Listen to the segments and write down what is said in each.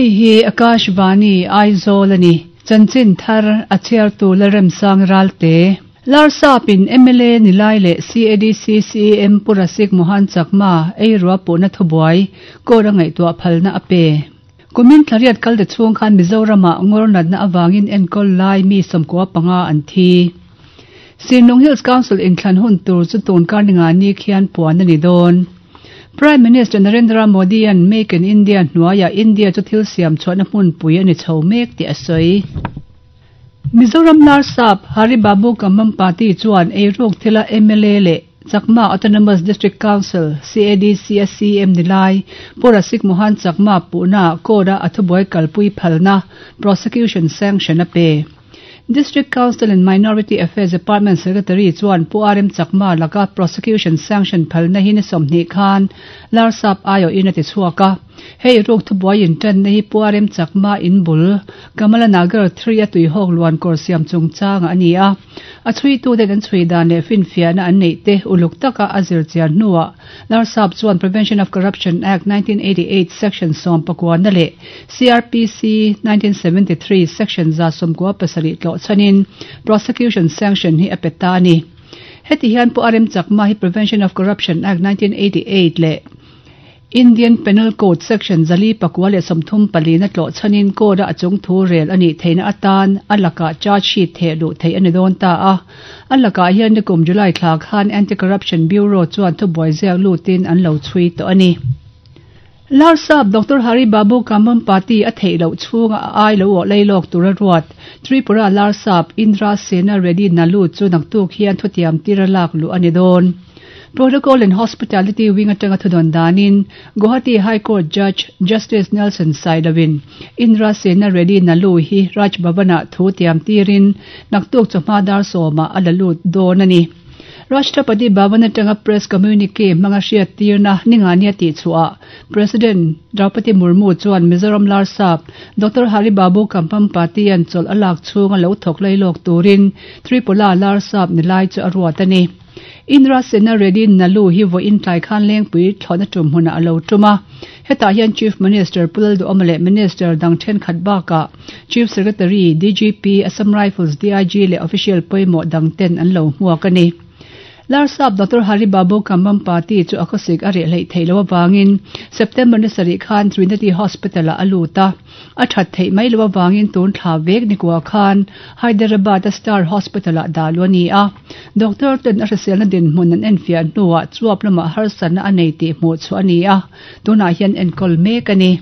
Hei hi Akashvani, Aizawl a ni. Chanchin thar a chhiartu Lalremsang Ralte. Larsapin mla Nilai leh CADC CEM Pu Rasik Mohan Chakma eirua puhna thubuai court a ngaihtuah phalna a pe. Kumin thlariat kalte chhung khan Mizoramah ngawr natna avangin enkawl lai mi 95 an thi. Sinlung Hills Council inthlan hun tur chu tun kar ninga ni khian puan a ni dawn. Prime Minister Narendra Modi-a'n Make in India hnuaiah India chu thil siam chhuahna hmunpui a ni chho mek tih a sawi. Mizoram Larsap Hari Babu Kambhampati chuan eiruk thila mla leh Chakma Autonomous District Council, CADC, a CM ni lai Pu Rasik Mohan Chakma puhnaah court-a a thubuai kalpui phalna, prosecution sanction, a pe. District Council and Minority Affairs Department Secretary chuan Pu RM Chakma laka prosecution sanction phalna hi ni 20 khan Larsap aiawhin a ti chhuak a. Hei ruk thubuai intanna hi Pu RM Chakma in bul Kamala Nagar 3 a tuihawk luan kawr siam chungchangah a ni a. A chhuituten an chhui dan leh finfiahna an neih te uluk taka a zir chian hnuah Larsap chuan Prevention of Corruption Act 1988 Section 19 leh CrPC 1973 Section 97 tlawh chhanin prosecution sanction hi a pe ta a ni. Heti hian Pu RM Chakma hi Prevention of Corruption Act 1988 leh Indian Penal Code Section 434 tlawh chhanin court-a a chung thu rel a nih theihna atan a lakah charge sheet theh luh theih a ni dawn ta a. A lakah hian nikum July thla khan Anti-Corruption Bureau chuan thubuai ziak lutin an lo chhui tawh a ni. Larsap Doctor Hari Babu Kambhampati a theih loh chhunga a ai lo awh lei lawk tura ruat Tripura Larsap Indra Sena Reddy Nalu chu naktuk hian thutiam tira lak luh a ni dawn. Protocol and Hospitality Wing atanga thudawn danin Guwahati High Court Judge Justice Nelson Sailovin Indra Sena Reddy Nalu hi Raj Bhavan-ah thu tiam tirin naktuk chawhma dar sawmah a la lut dawn a ni. Rashtrapati Bhavan atanga Press Communique hmanga hriat tirna ningani a tihchhuah President Draupadi Murmu chuan Mizoram Larsap Doctor Hari Babu Kambhampati-a'n chawlh a lak chhunga lo thawk lailawk turin Tripura Larsap ni lai chu a ruat a ni. Indra Sena Reddy Nalu hi vawiin tlai khan Lengpui thlawhna tum hmunah a lo tum a. Hetah hian Chief Minister Pu Lalduhawma leh Minister dang thenkhat bakah Chief Secretary, DGP, Assam Rifles DIG leh official pawimawh dang ten an lo hmuak a ni. Larsap Doctor Hari Babu Kambhampati chu a khawsik a reh hleih theih loh avangin September ni sarih khan Trinity Hospital-ah a lut a. A that theih mai loh avangin tun thla vek ni kua khan Hyderabad-a Star Hospital-ah dah luh a ni a. Doctor ten a hriselna dinhmun an enfiah hnuah chuap lamah harsatna a nei tih hmuh chhuah a ni a, tunah hian enkawl mek a ni.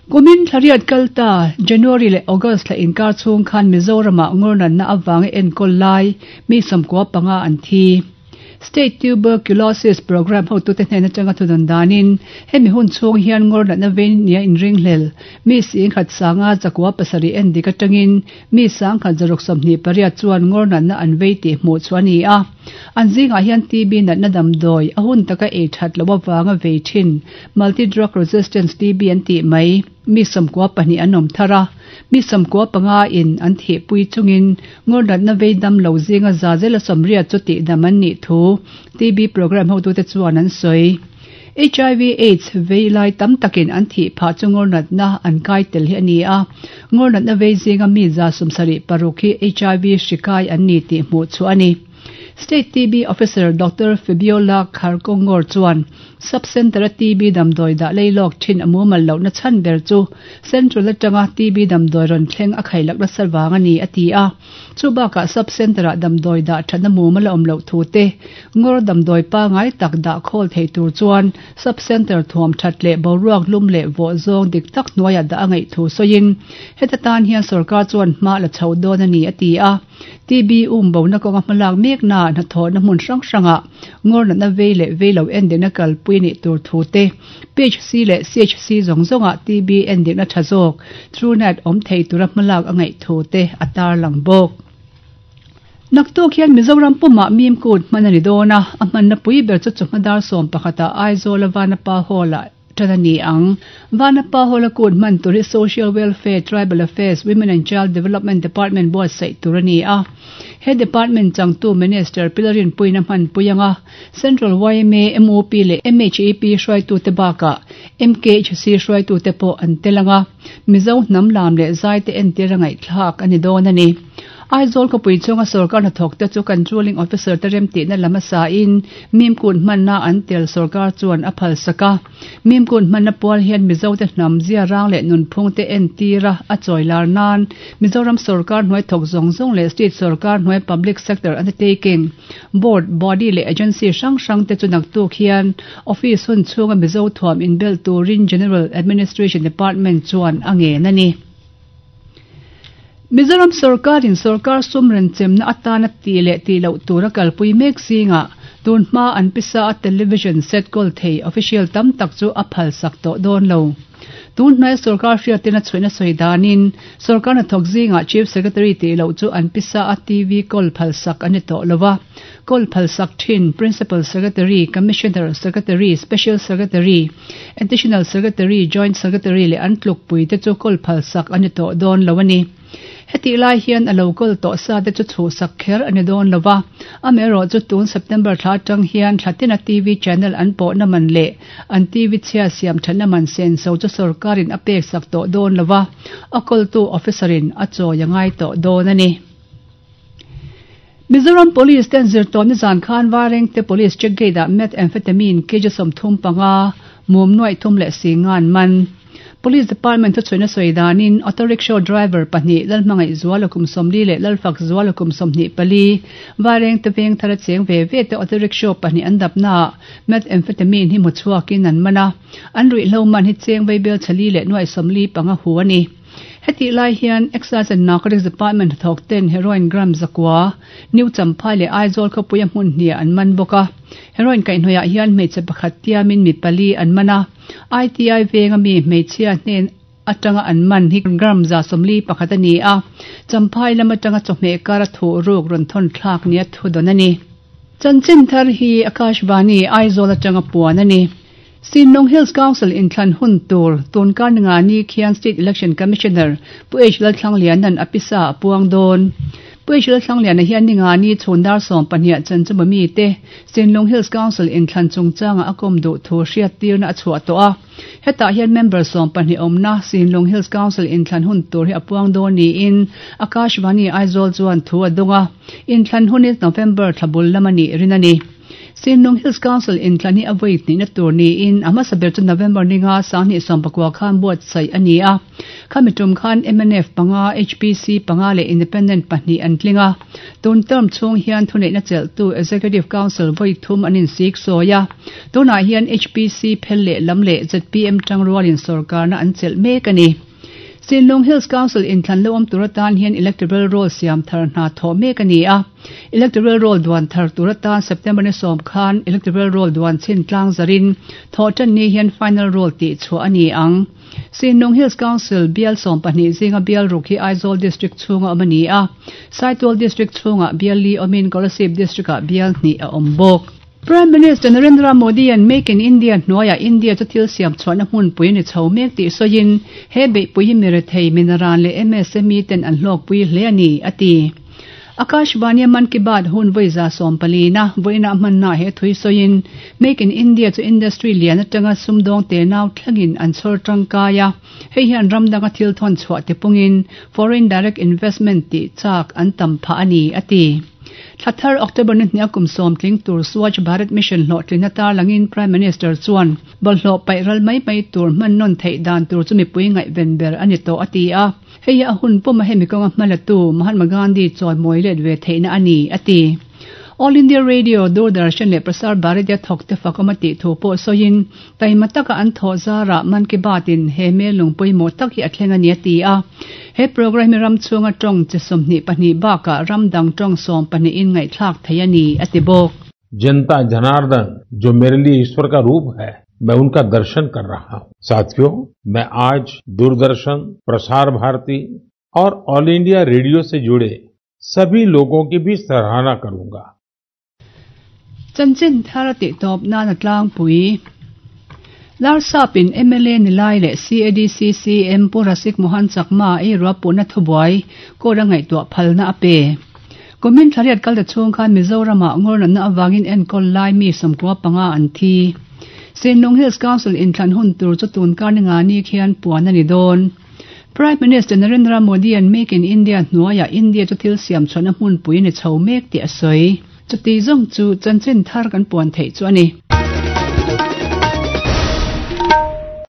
Kumin thlariat kal ta January leh August thla inkar chhung khan Mizoramah ngawrnatna avanga enkawl lai mi 95 an thi. State Tuberculosis Programme hotute hnen atanga thudawn danin hemi hun chhung hian ngawr natna vei nia inringhlel mi singkhat sanga 907 en dik atangin mi sangkhat 628 chuan ngawr natna an vei tih hmuh chu a ni a. An zingah hian TB natna damdawi a hun taka ei that loh avanga vei thin multi drug resistance TB an tih mai mi 92 an awm thar a, mi 95 in an thihpui chungin ngawr natna vei dam lo zinga za zela 80 chu tihdam an nih thu TB programme hotute chuan an sawi. HIV AIDS vei lai tam takin an thih phah chu ngawr natna an kai tel hi a ni a, ngawr natna vei zinga mi 76 hi HIV hri kai an ni tih hmuh chu a ni. State TB Officer Doctor Fabiola Kharkongor chuan Sub-Centre-a TB damdawi dah leilawk thin a mumal lohna chhan ber chu Central atanga TB damdawi rawn thleng a khailak nasa vang a ni a ti a. Chu bakah Sub-Centre-ah damdawi dah thatna mumal a awm loh thu te, ngawr damdawi pangai tak dah khawl thei tur chuan Sub-Centre thuam that leh boruak lum leh vawh zawng dik tak hnuaiah dah a ngaih thu sawiin heta tan hian sorkar chuan hma la chho dawn a ni a ti a. TB um bona kawnga hmalak mekna hnathawhna hmun hrang hrangah ngawr natna vei leh vei lo endikna kalpui a nih tur thu te, PHC leh CHC zawng zawngah TB endikna tha zawk, Truenat, awm thei tura hmalak a ngaih thu te a tarlang bawk. Naktuk hian Mizoram pumah mim kut hman a ni dawn a, a hmanna pui ber chu chawhma dar 11 ah Aizawl a Vanapa Hall-ah. tan a ni ang. Vanapa Hall-a kut hman tur hi Social Welfare, Tribal Affairs, Women and Child Development Department buatsaih tur a ni a. He department changtu Minister Pi Lalrinpuiin a hmanpui ang a, Central yma, MOP leh MHEP hruaitute bakah MKHC hruaitute pawh an tel ang a, Mizo hnam lam leh zaite entir a ngaihthlak a ni dawn a ni. Aizawl khawpui chhunga sorkar hnathawkte chu Controlling Officer te remtihna lam a sain Mimkut hmanna an tel sorkar chuan a phalsak a. Mimkut hmanna pual hian Mizote hnam ziarang leh nunphungte entira a chawi lar nan Mizoram sorkar hnuai thawk zawng zawng leh state sorkar hnuai public sector undertaking, board, body leh agency hrang hrangte chu naktuk hian office hun chhunga Mizo thuam inbelh turin General Administration Department chuan a ngen a ni. Mizoram sorkarin sorkar sum renchemna atana tih leh tih loh tura kalpui mek zingah tun hma an pisa a television set kawl thei official tam tak chu a phalsak tawh dawn lo. Tun hnuaia sorkar hriatin a chhuihna sawi danin sorkar hnathawk zingah Chief Secretary tih loh chu an pisa a TV kawl phalsak a ni tawh lo a. Kawl phalsak thin Principal Secretary, Commissioner, Secretary, Special Secretary, Additional Secretary, Joint Secretary leh an tlukpui te chu kawl phalsak a ni tawh dawn lo a ni. Hetih lai hian a lo kawl tawh sa te chu chhuhsak kher a ni dawn lo va, amaherawh chu tun September thla atang hian thla tina TV channel an pawhna man leh an TV chhia siam thatna man senso chu sorkarin a peksak tawh dawn lo va, a kawltu officer in a chawi a ngai tawh dawn a ni. Mizoram Police ten zirtawh nizan khan Vairengte Police Check Gate ah Methamphetamine kg 35 mum nuaih thum leh si ngan man. Police Department thuchhuihna sawi danin Auto Rickshaw driver pahnih Lalhmangaih Zuala kum 40 leh Lalfak Zuala kum 24 Vairengte veng thara cheng ve ve te Auto Rickshaw pahnih an dapnaah Methamphetamine hi hmu chhuakin an man a, an ruihhlo man hi cheng vaibel chali leh nuaih 45 hu a ni. Hetih lai hian Excise and Narcotics Department hnathawk ten heroin gram zakua, New Champhai leh Aizawl khawpuia hmun hniah an man bawk a. Heroin kaihhnawihah hian hmeichhe pakhat tiamin mi pali an man a. ITI venga mi hmeichhia hnen atanga an man hi gram 41 a ni a. Champhai lam atanga chawhmeh kara thuh ruk rawn thawn thlak nia thudawn a ni. Chanchin thar hi Akashvani, Aizawl atanga puan a ni. Sinlung Hills Council inthlan hun tur tun kar ninga ni khian State Election Commissioner Pu H Lalthlangliana'n a pisa a puang dawn. Pu H Lalthlangliana hian ninga ni chhun dar sawmpahniah chanchuma mite Sinlung Hills Council inthlan chungchanga a kawm duh thu hriattirna a chhuah tawh a. Hetah hian member 12 awmna Sinlung Hills Council inthlan hun tur hi a puang dawn niin Akashvani Aizawl chuan thu a dawng a. Inthlan hun hi November thla bul lam a nih rin a ni. Sinlung Hills Council inthlan hi a vawi hnihna tur niin a hmasa ber chu November ninga 2019 khan buatsaih a ni a. Khami tum khan mnf panga, HPC panga leh Independent pahnih an tling a. Tun term chhung hian thuneihna chelhtu Executive Council vawi thum an insik sawi a. Tunah hian HPC phel leh lam leh zpm tangrualin sorkarna an chelh mek a ni. Sinlung Hills Council inthlan lo awm tur atan hian Electoral Roll siam thar hna thawh mek a ni a. Electoral Roll duan thar tur atan September ni sawm khan Electoral Roll duan chhin tlang zarin thawh tan ni hian Final Roll tih chhuah a ni ang. Sinlung Hills Council bial 12 zinga bial ruk hi Aizawl District chhunga awm a ni a. Saitual District chhungah bial li awmin Kolasib District-ah bial hnih a awm bawk. Prime Minister Narendra Modi-a'n Make in India hnuaiah India chu thil siam chhuahna hmunpui a ni chho mek tih sawiin he beihpui hi mi rethei, minaran leh MSME ten an hlawkpui hle a ni, a ti. Akashvani-a Mann Ki Baat hun vawi 114-na vawiinah hmannaah he thui sawiin Make in India chu industry lian atanga sumdawng tenau thlengin an chhawr tangkai a, hei hian ram danga thil thawn chhuah tipungin foreign direct investment tih chak an tam phah a ni, a ti. Thla thar October ni hnih a kum sawm tling tur Swachh Bharat Mission hlawhtlinna tarlangin Prime Minister chuan bawlhhlawh paih ral mai mai tur hman nawn theih dan tur chu mipui ngaihven ber a ni tawh a ti a. Hei hi a hun pawm a hemi kawnga hmalatu Mahatma Gandhi chawimawi let ve theihna a ni, a ti. All India Radio, Doordarshan leh Prasar Bharati a thawk te fakawm a tih thu pawh sawiin taima taka an thawh zarah Mann Ki Baat in he hmel lung pawimawh tak hi a thleng a ni a ti a. He programme hi ram chhunga tawng chi 22 bakah ram dang tawng 12 in ngaihthlak thei a ni, a ti bawk. जनता जनार्दन जो मेरे लिए ईश्वर का रूप है, मैं उनका दर्शन कर रहा हूं। साथियों, मैं आज दूरदर्शन, प्रसार भारती और all India radio से जुड़े सभी लोगों की भी सराहना करूंगा। Chanchin thar a tih tawp nan a tlangpui. Larsap-in mla ni lai leh CADC CM Pu Rasik Mohan Chakma ei ruahpuhna thubuai court a ngaihtuah phalna a pe. Kumin thla riat kal ta chhung khan Mizoram-ah ngawr natna avangin enkawl lai mi 95 an thi. Sinlung Hills Council inthlan hun tur chu tun kar ni nga ni khian puan a ni dawn. Prime Minister Narendra Modi-a'n Make in India hnuaiah India chu thil siam chhuahna hmunpui a ni chho mek tih a sawi. Chuti zawng chu chanchin thar kan puan theih chu a ni.